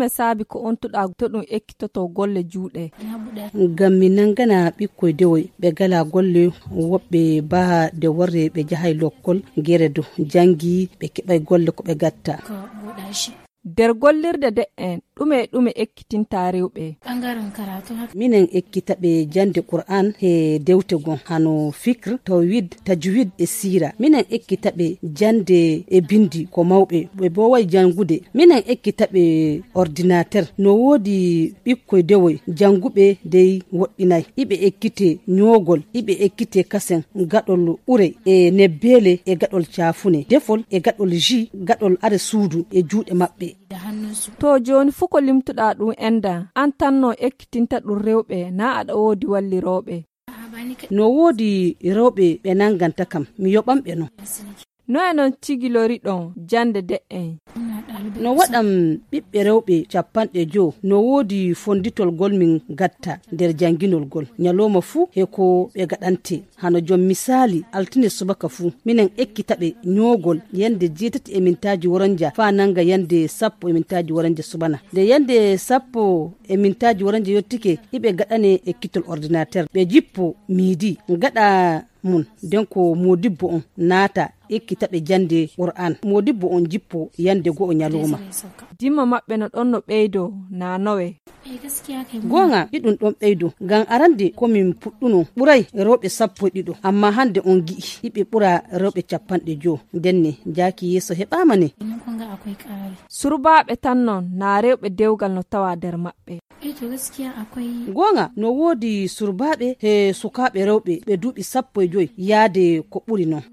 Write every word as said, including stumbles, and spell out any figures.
ɗume saabi ko ontuɗa to ɗum ekkitoto golle juuɗe? Ngam mi nangana ɓikkoy dewoy ɓe gala golle, woɓɓe baa de worre ɓe jahay lokkol gere do jangi ɓe keɓay golle ko ɓe gatta. Der gollirde de'en ɗume ɗume ekkitinta rewɓe? Minen ekkita ɓe jande Qur'an he dewte gon hano fikr, tawhid, tajwid e sira. Minen ekkita ɓe jande e bindi ko mawɓe ɓe bo way jangude. Minen ekkita ɓe ordinateur no wodi ɓikkoy dewoy janguɓe dey woɗɗinay. Iɓe ekkite nyogol, iɓe ekkite kasen gaɗol ure e nebbele e gaɗol cafune, defol e gaɗol ji, gaɗol are suudu e juuɗe maɓɓe. To joni fu ko limtuɗa ɗum enda an tanno ekkitinta ɗum rewɓe na aɗa woodi walliroɓe? No woodi rewɓe ɓe nanganta kam mi yoɓan ɓe no. No e non cigilori ɗon jande de'en? No waɗam ɓiɓɓe rewɓe capanɗe joo no woodi fonditol gol min gatta nder janginol gol nyaloma fuu he ko ɓe gaɗante. Hano jom misali altine subaka fuu minen ekkita ɓe nyogol yande jetati e mintaji woranja fa nanga yande sappo e mintaji woranja subana. Nde yande sappo e mintaji woranja yottike iɓe gaɗane ekkitol ordinateur ɓe jippo midi gaɗa mun den ko modibbo on naata ekkita ɓe jande Qur'an. Modibbo on jippo yande go'o nyaloma. Dimma maɓɓe no ɗon no ɓeydo na nowe? Gonga ɗiɗum ɗon ɓeydo ngam arande komin puɗɗuno ɓuray rewɓe sappo ɗiɗo amma hande on gi'i iɓe ɓura rewɓe capanɗe joo denne jaaki yeeso heɓama ne. Surbaɓe tan non na rewɓe dewgal no tawa nder maɓɓe? Gonga no woodi surbaɓe he sukaɓe rewɓe ɓe duuɓi sappo e joyi yaade ko ɓuri non.